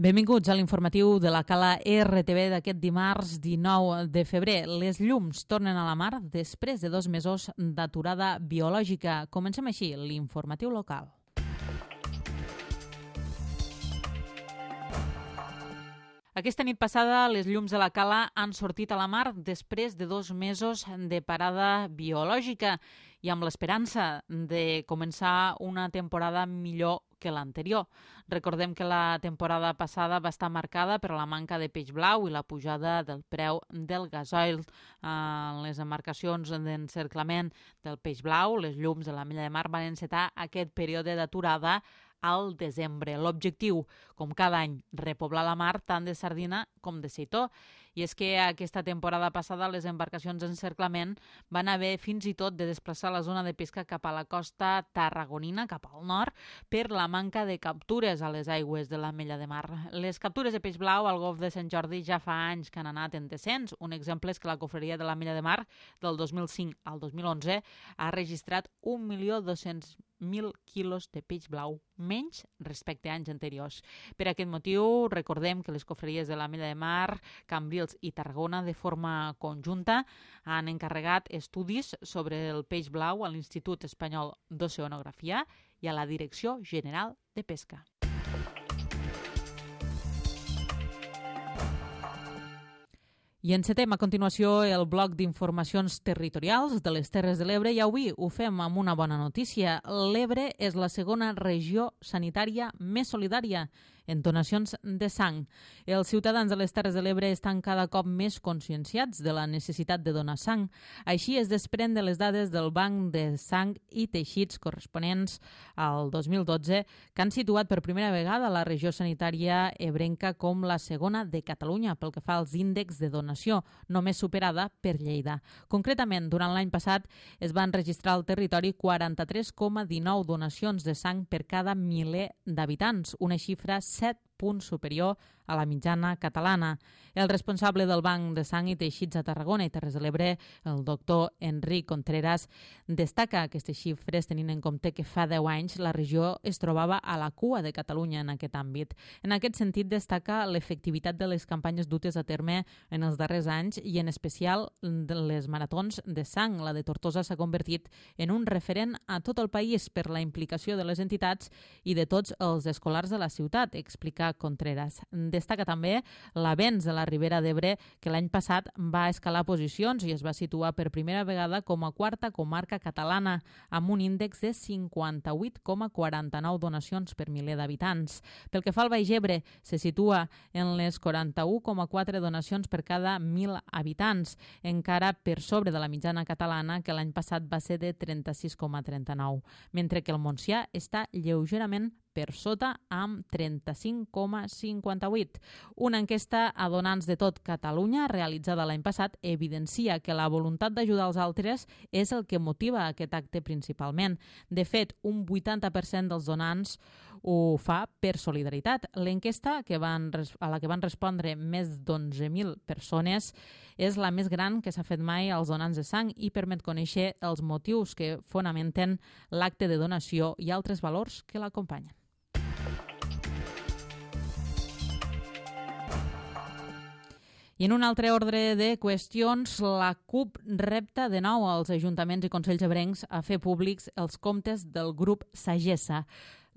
Benvinguts a l'informatiu de la Cala RTV d'aquest dimarts 19 de febrer. Les llums tornen a la mar després de 2 mesos d'aturada biològica. Comencem així l'informatiu local. Aquesta nit passada, les llums de la Cala han sortit a la mar després de 2 mesos de parada biològica i amb l'esperança de començar una temporada millor que l'anterior. Recordem que la temporada passada va estar marcada per la manca de peix blau i la pujada del preu del gasoil. En les embarcacions d'encerclament del peix blau, les llums de l'Ametlla de Mar van encetar aquest període d'aturada al desembre. L'objectiu, com cada any, repoblar la mar tant de sardina com de seitó. I és que aquesta temporada passada les embarcacions d'encerclament van haver fins i tot de desplaçar la zona de pesca cap a la costa tarragonina, cap al nord, per la manca de captures a les aigües de l'Ametlla de Mar. Les captures de peix blau al Golf de Sant Jordi ja fa anys que han anat en descens. Un exemple és que la cofreria de l'Ametlla de Mar del 2005 al 2011 ha registrat 1.200.000 quilos de peix blau, menys respecte a anys anteriors. Per aquest motiu, recordem que les cofreries de l'Ametlla de Mar, Cambrils i Tarragona, de forma conjunta, han encarregat estudis sobre el peix blau a l'Institut Espanyol d'Oceanografia i a la Direcció General de Pesca. I encetem a continuació el bloc d'informacions territorials de les Terres de l'Ebre i avui ho fem amb una bona notícia. L'Ebre és la segona regió sanitària més solidària en donacions de sang. Els ciutadans de les Terres de l'Ebre estan cada cop més conscienciats de la necessitat de donar sang. Així es desprèn de les dades del Banc de Sang i Teixits corresponents al 2012, que han situat per primera vegada la regió sanitària ebrenca com la segona de Catalunya pel que fa als índexs de donació, només superada per Lleida. Concretament, durant l'any passat es van registrar al territori 43,19 donacions de sang per cada miler d'habitants, una xifra 7 punts superior a la mitjana catalana. El responsable del Banc de Sang i Teixits a Tarragona i Terres de l'Ebre, el doctor Enric Contreras, destaca aquestes xifres tenint en compte que fa 10 anys la regió es trobava a la cua de Catalunya en aquest àmbit. En aquest sentit, destaca l'efectivitat de les campanyes dutes a terme en els darrers anys i en especial de les maratons de sang. La de Tortosa s'ha convertit en un referent a tot el país per la implicació de les entitats i de tots els escolars de la ciutat, explica Contreras. Destaca també l'avenç de la Ribera d'Ebre, que l'any passat va escalar posicions i es va situar per primera vegada com a quarta comarca catalana, amb un índex de 58,49 donacions per miler d'habitants. Pel que fa al Baix Ebre, se situa en les 41,4 donacions per cada 1.000 habitants, encara per sobre de la mitjana catalana, que l'any passat va ser de 36,39, mentre que el Montsià està lleugerament per sota amb 35,58. Una enquesta a donants de tot Catalunya realitzada l'any passat evidencia que la voluntat d'ajudar els altres és el que motiva aquest acte principalment. De fet, un 80% dels donants ho fa per solidaritat. L'enquesta a la que van respondre més d'11.000 persones és la més gran que s'ha fet mai als donants de sang i permet conèixer els motius que fonamenten l'acte de donació i altres valors que l'acompanyen. I en un altre ordre de qüestions, la CUP repta de nou als ajuntaments i consells ebrencs a fer públics els comptes del grup Sagessa.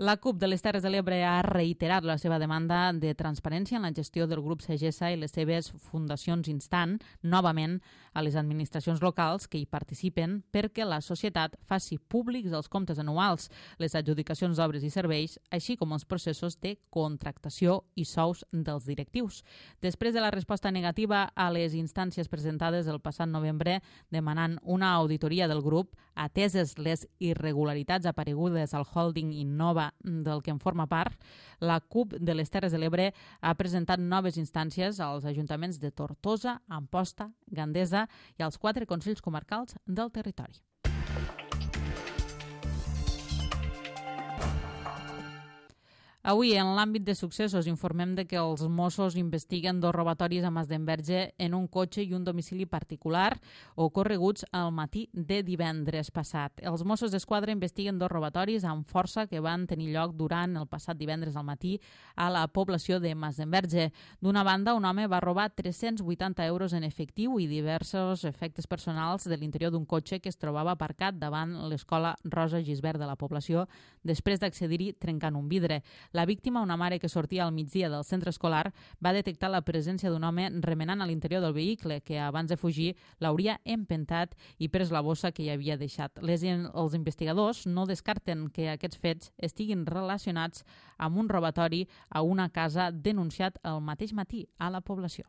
La CUP de les Terres de l'Ebre ha reiterat la seva demanda de transparència en la gestió del grup Sagessa i les seves fundacions, instant novament a les administracions locals que hi participen perquè la societat faci públics els comptes anuals, les adjudicacions d'obres i serveis, així com els processos de contractació i sous dels directius. Després de la resposta negativa a les instàncies presentades el passat novembre demanant una auditoria del grup, ateses les irregularitats aparegudes al holding Innova del que en forma part, la CUP de les Terres de l'Ebre ha presentat noves instàncies als ajuntaments de Tortosa, Amposta, Gandesa i als 4 consells comarcals del territori. Avui, en l'àmbit de successos, informem de que els Mossos investiguen 2 robatoris a Masdenverge en un cotxe i un domicili particular ocorreguts al matí de divendres passat. Els Mossos d'Esquadra investiguen 2 robatoris amb força que van tenir lloc durant el passat divendres al matí a la població de Masdenverge. D'una banda, un home va robar 380 euros en efectiu i diversos efectes personals de l'interior d'un cotxe que es trobava aparcat davant l'escola Rosa Gisbert de la població després d'accedir-hi trencant un vidre. La víctima, una mare que sortia al migdia del centre escolar, va detectar la presència d'un home remenant a l'interior del vehicle que, abans de fugir, l'hauria empentat i pres la bossa que hi havia deixat. Els investigadors no descarten que aquests fets estiguin relacionats amb un robatori a una casa denunciat el mateix matí a la població.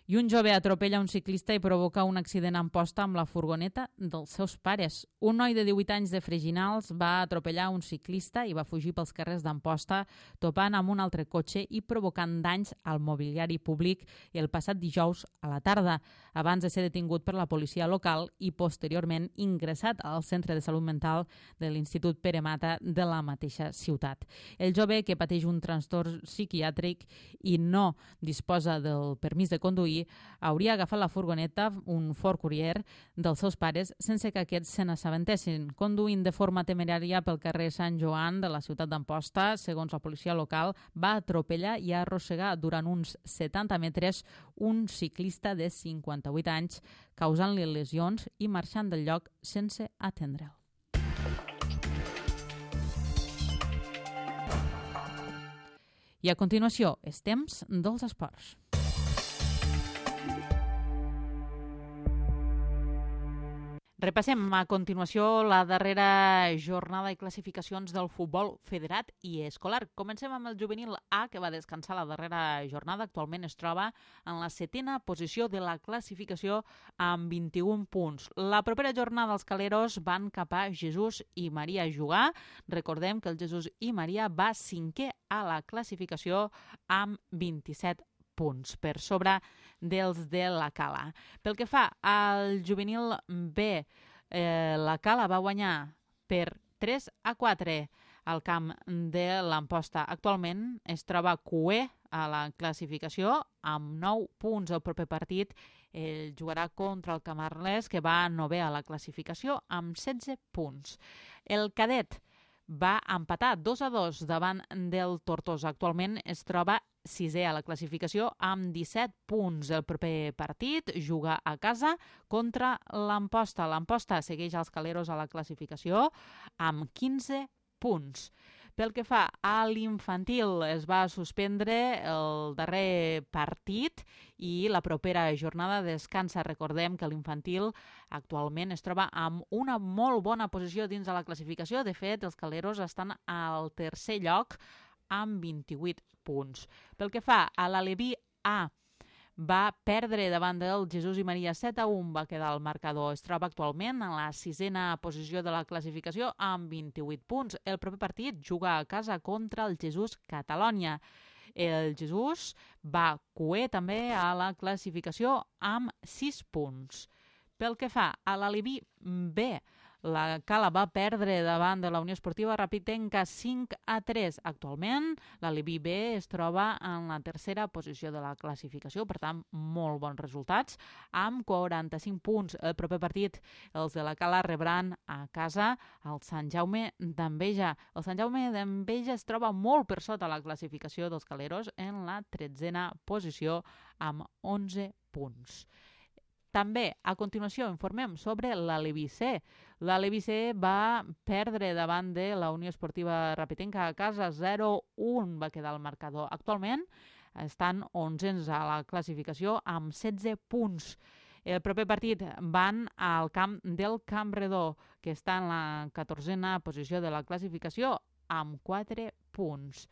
I un jove atropella un ciclista i provoca un accident a Amposta amb la furgoneta dels seus pares. Un noi de 18 anys de Freginals va atropellar un ciclista i va fugir pels carrers d'Amposta, topant amb un altre cotxe i provocant danys al mobiliari públic el passat dijous a la tarda, abans de ser detingut per la policia local i posteriorment ingressat al centre de salut mental de l'Institut Pere Mata de la mateixa ciutat. El jove, que pateix un trastorn psiquiàtric i no disposa del permís de conduir, hauria agafat la furgoneta, un Ford Courier, dels seus pares sense que aquests se n'assabentessin. Conduint de forma temerària pel carrer Sant Joan de la ciutat d'Amposta, segons la policia local, va atropellar i arrossegar durant uns 70 metres un ciclista de 58 anys, causant-li lesions i marxant del lloc sense atendre'l. I a continuació, és temps dels esports. Repassem a continuació la darrera jornada i classificacions del futbol federat i escolar. Comencem amb el juvenil A, que va descansar la darrera jornada. Actualment es troba en la 7ª posició de la classificació amb 21 punts. La propera jornada els caleros van cap a Jesús i Maria a jugar. Recordem que el Jesús i Maria va 5è a la classificació amb 27 punts, per sobre dels de la Cala. Pel que fa al juvenil B, la Cala va guanyar per 3-4 al camp de l'Amposta. Actualment es troba cué a la classificació amb 9 punts. El proper partit jugarà contra el Camarles, que va 9è a la classificació amb 16 punts. El cadet va empatar 2-2 davant del Tortosa. Actualment es troba 6è a la classificació amb 17 punts. El proper partit juga a casa contra l'Amposta. L'Amposta segueix als caleros a la classificació amb 15 punts. Pel que fa a l'infantil, es va suspendre el darrer partit i la propera jornada descansa. Recordem que l'infantil actualment es troba amb una molt bona posició dins de la classificació. De fet, els caleros estan al 3è lloc amb 28 punts. Pel que fa a l'Aleví A, va perdre davant del Jesús i Maria 7-1, va quedar el marcador. Es troba actualment en la 6ª posició de la classificació amb 28 punts. El proper partit juga a casa contra el Jesús Catalònia. El Jesús va cué també a la classificació amb 6 punts. Pel que fa a l'Aleví B, la Cala va perdre davant de la Unió Esportiva Rapitenca 5-3. Actualment, l'Aleví B es troba en la 3ª posició de la classificació, per tant, molt bons resultats, amb 45 punts. El proper partit, els de la Cala rebran a casa el Sant Jaume d'Enveja. El Sant Jaume d'Enveja es troba molt per sota la classificació dels caleros en la 13ª posició amb 11 punts. També, a continuació, informem sobre l'Aleví C. L'Aleví C va perdre davant de la Unió Esportiva Rapitenca a casa 0-1, va quedar el marcador. Actualment estan 11ens a la classificació amb 16 punts. El proper partit van al camp del Campredó, que està en la 14ª posició de la classificació amb 4 punts.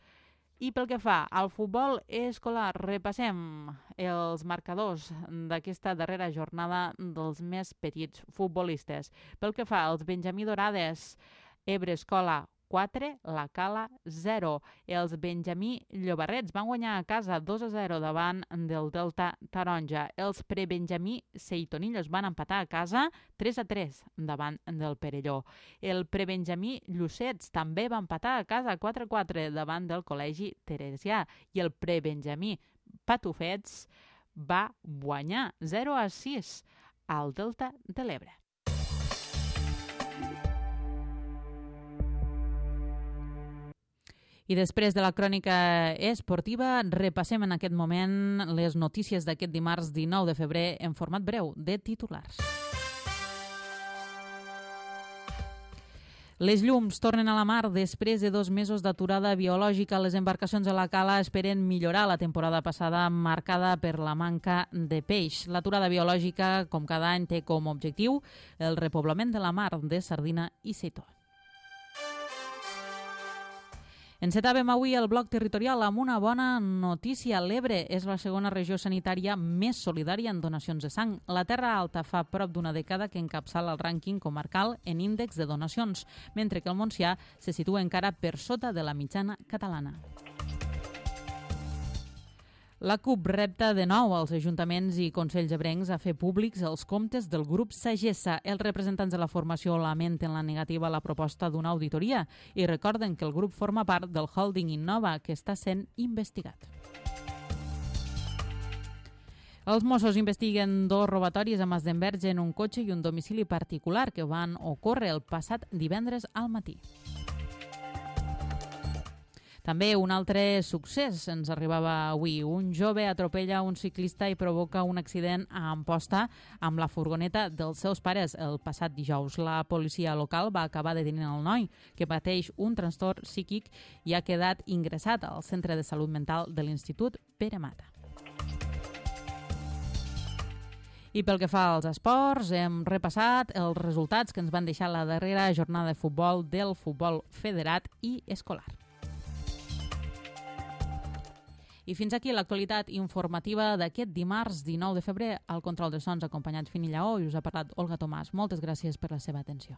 I pel que fa al futbol escolar, repassem els marcadors d'aquesta darrera jornada dels més petits futbolistes. Pel que fa als Benjamí Dorades, Ebre Escola 4, la Cala 0. Els Benjamí Llobarrets van guanyar a casa 2-0 davant del Delta Taronja. Els prebenjamí Seitonillos van empatar a casa 3-3 davant del Perelló. El prebenjamí Llucets també va empatar a casa 4-4 davant del Col·legi Teresià i el prebenjamí Patufets va guanyar 0-6 al Delta de l'Ebre. I després de la crònica esportiva, repassem en aquest moment les notícies d'aquest dimarts 19 de febrer en format breu de titulars. Les llums tornen a la mar després de 2 mesos d'aturada biològica. Les embarcacions a la cala esperen millorar la temporada passada marcada per la manca de peix. L'aturada biològica, com cada any, té com a objectiu el repoblament de la mar de sardina i seitó. Encetàvem avui el bloc territorial amb una bona notícia. L'Ebre és la segona regió sanitària més solidària en donacions de sang. La Terra Alta fa prop d'una dècada que encapçala el rànquing comarcal en índex de donacions, mentre que el Montsià se situa encara per sota de la mitjana catalana. La CUP repta de nou als ajuntaments i consells ebrencs a fer públics els comptes del grup Sagessa. Els representants de la formació lamenten la negativa a la proposta d'una auditoria i recorden que el grup forma part del holding Innova, que està sent investigat. Els Mossos investiguen 2 robatoris a Masdenverge en un cotxe i un domicili particular que van ocórrer el passat divendres al matí. També un altre succés ens arribava avui. Un jove atropella un ciclista i provoca un accident a Amposta amb la furgoneta dels seus pares el passat dijous. La policia local va acabar detenint el noi, que pateix un trastorn psíquic i ha quedat ingressat al Centre de Salut Mental de l'Institut Pere Mata. I pel que fa als esports, hem repassat els resultats que ens van deixar la darrera jornada de futbol del futbol federat i escolar. I fins aquí l'actualitat informativa d'aquest dimarts 19 de febrer. Al control de sons acompanyat Fini Lleó i us ha parlat Olga Tomàs. Moltes gràcies per la seva atenció.